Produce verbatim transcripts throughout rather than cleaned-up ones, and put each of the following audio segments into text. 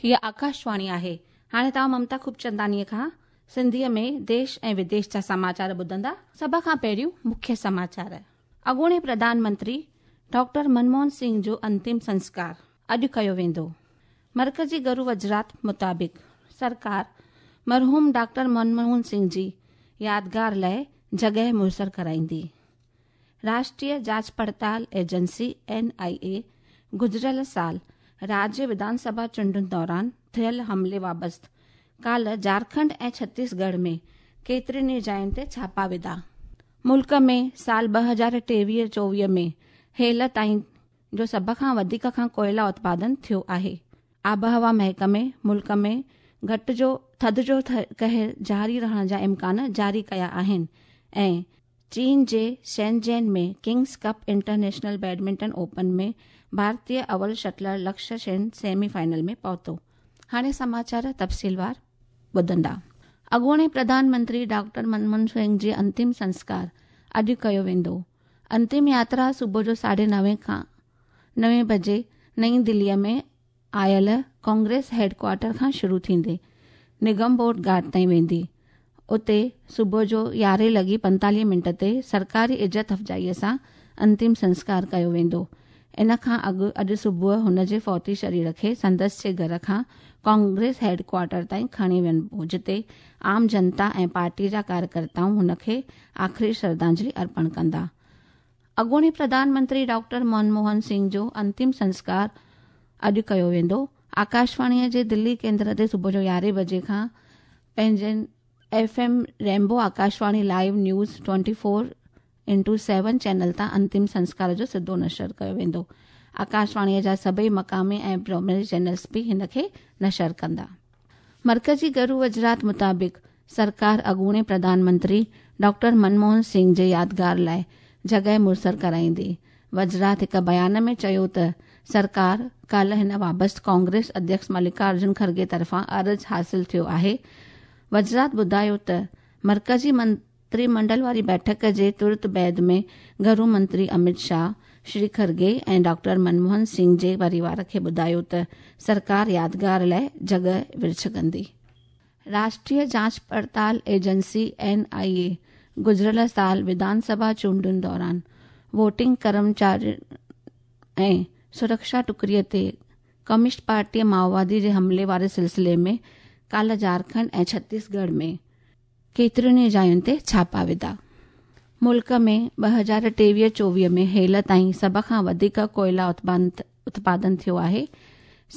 هيءَ آڪاشواڻي آهي. هاڻي توهان ممتا خوبچنداڻيءَ کان سنڌيءَ ۾ ديش ۽ وديش جا سماچار ٻڌندا. سڀ کان پهريون مکيه سماچار. اڳوڻي پرڌان منتري ڊاڪٽر منموهن سنگهه جو انتم سنسڪار اڄ ڪيو ويندو. مرڪزي گهرو وزارت مطابق سرڪار مرحوم ڊاڪٽر منموهن سنگهه جي يادگار لاءِ جڳهه ميسر ڪرائيندي. راشٽريه جاچ پڙتال ايجنسي اين I اي گذريل سال راجيه وڌان سڀا چونڊن دوران ٿيل حملي وابسته ڪالهه جهارکنڊ ۽ ڇتيسڳڙهه ۾ ڪيترين ئي جاين تي ڇاپا وڌا. ملڪ ۾ سال ٻه هزار ٽيويهه چوويهه ۾ هيل تائين جو سڀ کان وڌيڪ کان ڪوئلا اتپادن ٿيو آهي. آبهوا محڪمي ملڪ ۾ گهٽ جو ٿڌ جو قهر جاري رهڻ جا امڪان جاري ڪيا آهن ۽ چين جي Shenzhen ۾ Kings Cup International Badminton Open ۾ ڀارتيه اول شٽلر لڪشيه سين سيمي فائنل ۾ پهتو. هاڻي سماچار تفصيلوار ٻڌندا. اڳوڻي پرڌان منتري ڊاڪٽر منموهن سنگهه جي انتم سنسڪار اڄ ڪيو ويندو. انتم ياترا صبح جو ساڍي نوين کان نوين بجي نئين دليءَ ۾ آيل ڪانگريس هيڊ ڪوارٽر کان شروع ٿيندي نگم بوڌ گهاٽ تائين ويندي. اتي صبح جو يارهين لڳي پنتاليهه منٽ تي سرڪاري عزت افزائيءَ سان انتم سنسڪار ڪيو ويندو. ان کان اڳ اڄ صبح هن جي فوتي شرير کي سندس جي گهر کان ڪانگريس هيڊ ڪوارٽر تائين کڻي وڃبو، جتي عام جنتا ۽ پارٽي جا ڪاريڪرتائون هن کي آخري شرڌانجلي ارپڻ ڪندا. اڳوڻي پرڌان منتري ڊاڪٽر منموهن سنگهه جو انتم سنسڪار اڄ ڪيو ويندو. آڪاشواڻيءَ جي دلي ڪيندر تي صبح جو يارهين بجي کان پنهنجن F M Rainbow Akashvani live news twenty four into seven channel تان انتم سنسڪار جو سڌو نشر ڪيو ويندو. آڪاشواڻيءَ جا سڀئي مقامي ۽ پرائمري چينلز به هن کي نشر ڪندا. مرڪزي گهرو وزارت مطابق سرڪار اڳوڻي پرڌان منتري ڊاڪٽر منموهن سنگهه جي يادگار لاءِ جڳهه ميسر ڪرائيندي. وزارت هڪ بيان ۾ چيو ته سرڪار ڪالهه هن وابسته ڪانگريس اڌيڪش ملڪارجن کرگي طرفان عرض حاصل ٿيو آهي. وزارت ٻڌايو ته مرڪزي منتري منڊل واري بيٺڪ جي ترت بعد ۾ گهرو منتري امت شاهه، شري کرگي ۽ ڊاڪٽر منموهن سنگهه جي پريوار کي ٻڌايو ته سرڪار يادگار لاءِ جڳهه ورڇ ڪندي. راشٽريه جاچ پڙتال ايجنسي اين I اي گذريل سال وڌان سڀا چونڊن دوران ووٽنگ ڪرمچارين ۽ سرڪشا ٽڪڙيءَ تي ڪميونسٽ پارٽيءَ مائووادي جي حملي واري سلسلي ۾ ڪالهه جهارکنڊ ۽ ڇتيسڳڙهه ۾ ڪيترين ئي جاين تي ڇاپا وڌا. ملڪ ۾ ٻه هزار ٽيويهه چوويهه ۾ هيل تائين سڀ کان وڌيڪ ڪوئلا اتپادن ٿيو آهي.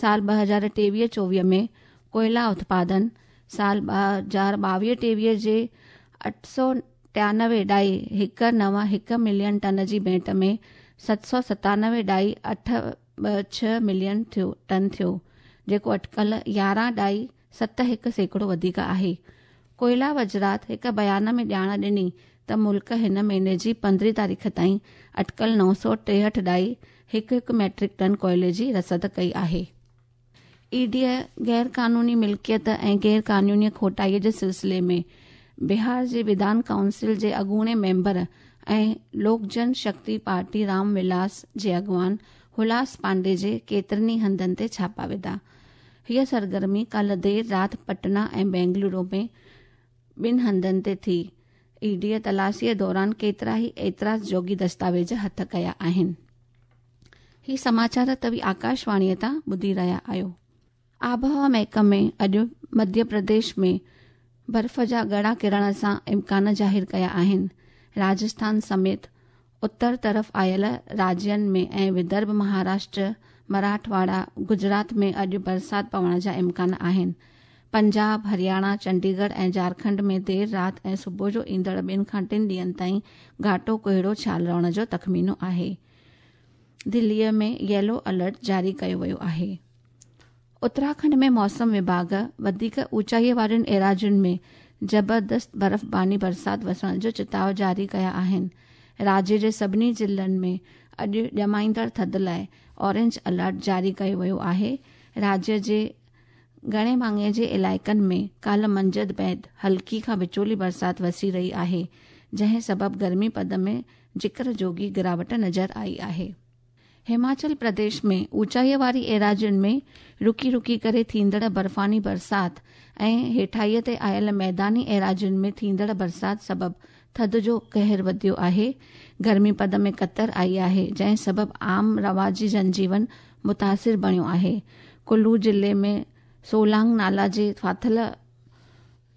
سال ٻه هزار ٽيويهه چوويهه ۾ ڪوئلا اتپادن سال ٻه هزار ٻاويهه ٽيويهه جي اٺ سؤ ٽيانوي ڏهائي هڪ نو هڪ ملين ٽن جي ڀيٽ ۾ ست سؤ ستانوي ڏهائي اٺ ٻه ڇهه ملين ٿيو ٽن ٿيو، جيڪو اٽڪل يارهن ڏهائي ست هڪ سيڪڙو وڌيڪ آهي. ڪوئلا وزارت هڪ بيان ۾ ڄاڻ ڏني ته ملڪ هن مهيني جي پندرهين تاريخ تائين اٽڪل نو سؤ ٽيهٺ ڏهائي هڪ هڪ ميٽرڪ ٽن ڪوئلي جي رسد ڪئي آهي. اي ڊيءَ غير قانوني ملڪيت ۽ غير قانوني کوٽائيءَ جي سلسلي ۾ بهار جي وڌان ڪائونسل جي اڳوڻي ميمبر ۽ لوڪ جن شڪتي پارٽي رام ولاس جي اڳواڻ هلاس پانڊي جي ڪيترن ئي هنڌن تي ڇاپا وڌا. هيءَ سرگرمي ڪالهه دير رات پٽنا ۽ بينگلورو ۾ ٻن هنڌن تي ٿي. اي ڊيءَ تلاشيءَ دوران ڪيترا ئي اعتراض جوڳي دستاويز هٿ ڪيا آهن. هي سماچار توهين آڪاشواڻيءَ تان ٻڌي رهيا آهيو. آبهوا محڪمي اڄ مڌيه پرديش ۾ برف جا ڳڙا ڪرڻ سان امڪان ظاهر ڪيا آهن. راجسٿان سميت اتر طرف آيل راجين ۾ ۽ ودرڀ، مهاراشٽر، مراٺواڙا، گجرات ۾ اڄ برسات پوڻ جا امڪان آهن. پنجاب، هرياڻا، چنڊيڳڙهه ۽ جهارکنڊ ۾ دير رات ۽ صبح جو ايندڙ ٻن کان ٽن ڏينهن تائين گهاٽو ڪوهيڙو ڇانيل رهڻ جو تخمينو آهي. دليءَ ۾ ييلو الرٽ جاري ڪيو ويو آهي. اتراکنڊ ۾ موسم وڀاڳ وڌيڪ اوچائيءَ وارين ايراضين ۾ زبردست برفباني برسات وسڻ جو چتاءُ جاري ڪيا آهن. راجيه جي سڀني ضلعن ۾ اڄ ڄمائيندڙ ٿڌ لاءِ اورينج الرٽ جاري ڪيو ويو آهي. راجيه جي گهڻي ڀاڱي جي علائقن ۾ ڪالهه منجهند بعد هلڪي کان وچولي برسات وسي رهي آهي، جنهن سبب گرمي پد ۾ ذڪر جوڳي گراوٽ نظر آئي آهي. हिमाचल प्रदेश में ऊंचाईअ वारी एराज़ियुनि में रुकी रुकी करे थींदड़ बर्फ़ानी बरसाति ऐं हेठाईअ ते आयल मैदानी एराज़ियुनि में थींदड़ बरसाति सबबु थधि जो क़हर वधियो आहे। गर्मी पद में कतर आई आहे, जंहिं सबबु आम रवाजी जनजीवन मुतासिर बणियो आहे। कुल्लू ज़िले में सोलांग नाला जे फाथिल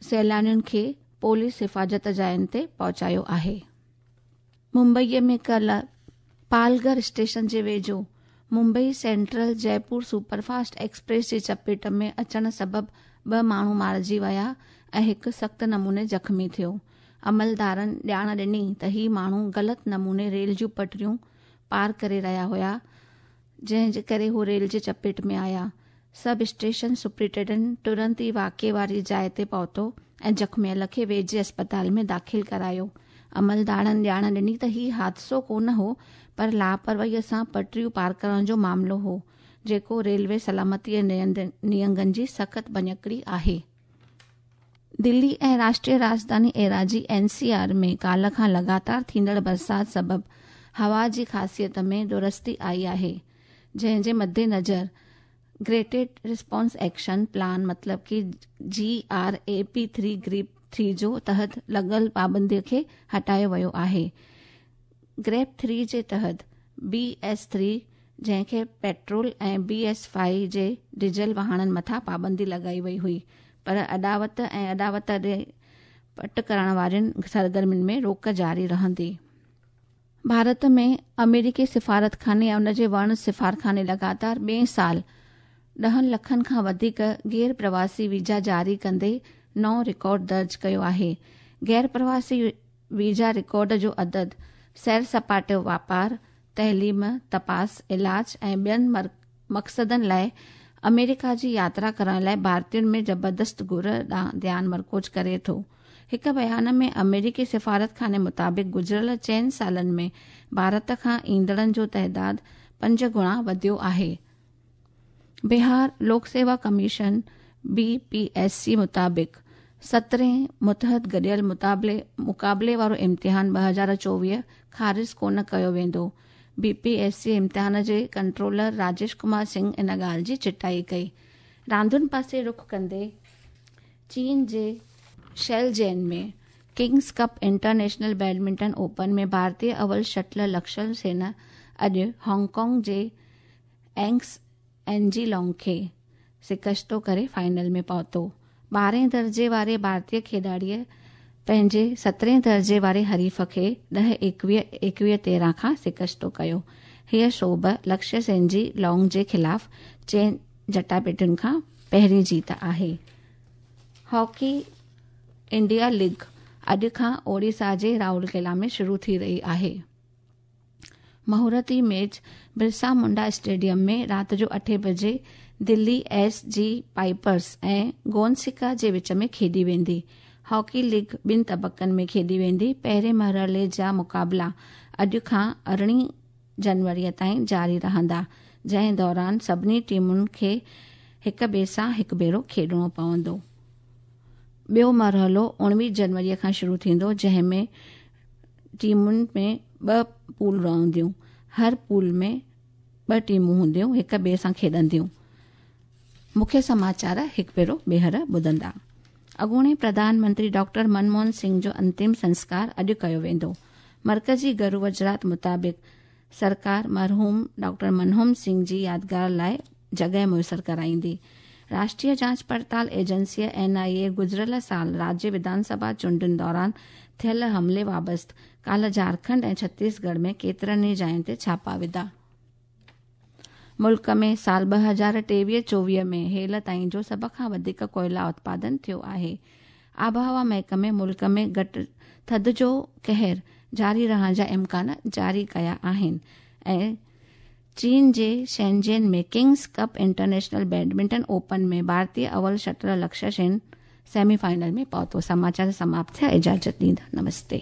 सैलानियुनि खे पुलिस हिफ़ाज़त जायुनि ते पहुचायो आहे। मुंबईअ में कल्ह पालघर स्टेशन जे वेझो Mumbai central Jaipur superfast express जे चपेट में अचण सबबु ॿ माण्हू मारिजी विया ऐं हिकु सख़्तु नमूने ज़ख़्मी थियो। अमलदारनि ॼाण ॾिनी त ही माण्हू ग़लति नमूने रेल जूं पटरियूं पार करे रहिया हुआ, जंहिं जे करे हू रेल जे चपेट में आया। सब स्टेशन सुपरिटेंडेंट तुरंत ई वाक़िए वारी जाइ ते पहुतो ऐं ज़ख़्मियल खे वेझे अस्पताल में दाख़िल करायो। अमलदारनि ॼाण ॾिनी त हीउ हादसो कोन हो, पर लापरवाहीअ सां पटरियूं पार करण जो मामिलो हो, जेको रेलवे सलामतीअ नियमनि जी सख़्तु भञकड़ी आहे। दिल्ली ऐं राष्ट्रीय राजधानी एराज़ी एन सी आर में काल्ह खां लगातार थींदड़ बरसाति सबबु हवा जी ख़ासियत में दुरुस्ती आई आहे, जंहिंजे मद्देनज़र ग्रेटेड रिस्पॉन्स एक्शन प्लान मतलब कि G R A P three GRAP three जो तहत लॻल पाबंदीअ खे हटायो वियो आहे। ग्रेप थ्री जे तहत बी एस थ्री जंहिंखे पेट्रोल ऐं बी एस फाइव जे डीज़ल वाहननि मथां पाबंदी लॻाई वई हुई, पर अॾावत ऐं अॾावत ॾे पट करण वारियुनि सरगर्मियुनि में रोक जारी रहंदी। भारत में अमेरिकी सिफारतखाने ऐं उन जे वर्ण सिफारखाने लगातार ॿिए साल ॾहनि लखनि खां वधीक गैर प्रवासी वीज़ा जारी कंदे नओं रिकॉर्ड दर्ज कयो आहे। गैर प्रवासी वीज़ा रिकॉर्ड जो अदद सैर सपाटो, वापार, तइलीम, तपास, इलाज ऐं ॿियनि मक़सदनि लाइ अमेरिका जी यात्रा करण लाइ भारतीयुनि में ज़बरदस्त घुर ॾांहुं ध्यानु मरकूज़ करे थो। हिकु बयान में अमेरिकी सिफारतखाने मुताबिक़ गुज़िरियल चइनि सालनि में भारत खां ईंदड़नि जो तादाद पंज गुणा वधियो आहे। बिहार लोक सेवा commission B P S C मुताबिक़ सतरहें मुतहद गॾियल मुताबले मुक़ाबले वारो इम्तिहान ॿ हज़ार चोवीह ख़ारिज कोन कयो वेंदो। बी पी एस सी इम्तिहान जे कंट्रोलर राजेश कुमार सिंह इन ॻाल्हि जी चिटाई कई। रांदुनि पासे रुख कंदे चीन जे Shenzhen में Kings Cup international badminton open में भारतीय अव्वल शटलर लक्ष्य सेन अॼु हांगकांग जे एंग्स एनजी लॉन्ग खे शिकस्तो करे फाइनल में पहुतो। ॿारहें दर्जे वारे भारतीय खिलाड़ीअ पंहिंजे सतरहें दर्जे वारे हरीफ़ खे ॾह एकवीह एकवीह तेरहं खां शिकस्तो कयो। हीअ शोभ लक्ष्य सेन जी लॉन्ग जे ख़िलाफ़ चइनि जटापेटियुनि खां पहिरीं जीत आहे। हॉकी इंडिया लीग अॼु खां ओडिशा जे राउरकेला में शुरू थी रही आहे। मुहूर्ती मैच बिरसा मुंडा स्टेडियम में राति जो अठे बजे दिल्ली एस जी पाइपर्स ऐं गोनसिका जे विच में खेॾी वेंदी। हॉकी लीग ॿिनि तबक़नि में खेॾी वेंदी। पहिरें मरहले जा मुक़ाबला अॼु खां अरिड़हीं जनवरीअ ताईं जारी रहंदा, जंहिं दौरान सभिनी टीमुनि खे हिक ॿिए सां हिकु भेरो खेॾणो पवंदो। ॿियो मरहलो उणिवीह जनवरीअ खां शुरू थींदो, जंहिं में टीमुनि में ॿ पूल रहंदियूं। हर पूल में ॿ टीमूं हूंदियूं, हिक ॿिए सां खेॾंदियूं। मुख्य समाचार हिकु भेरो ॿीहर ॿुधंदा। अॻूणे प्रधानमंत्री डॉक्टर मनमोहन सिंह जो अंतिम संस्कार अॼु कयो वेंदो। मर्कज़ी गृह वज़ारत मुताबिक़ सरकार मरहूम डॉक्टर मनमोहन सिंह जी यादगार लाइ जॻह मुयसर कराईंदी। राष्ट्रीय जांच पड़ताल एजेंसीअ एन आई ए गुज़िरियल साल राज्य विधानसभा चूंडुनि दौरान थियल हमले बाबति काल्ह झारखंड ऐं छत्तीसगढ़ में केतिरनि ई जायुनि ते छापा विधा। मुल्क में साल ॿ हज़ार टेवीह चोवीह में हेल ताईं जो सभ खां वधीक कोयला उत्पादन थियो आहे। आबहवा महकमे मुल्क में घटि थधि जो क़हर जारी रहण जा इम्कान जारी कया आहिनि। ऐं चीन जे शेंजेन में Kings Cup international badminton open में भारतीय अव्वल शटलर लक्ष्य सेन सेमीफाइनल में पहुतो। समाचार समाप्त थिया। इजाज़त ॾींदा। नमस्ते।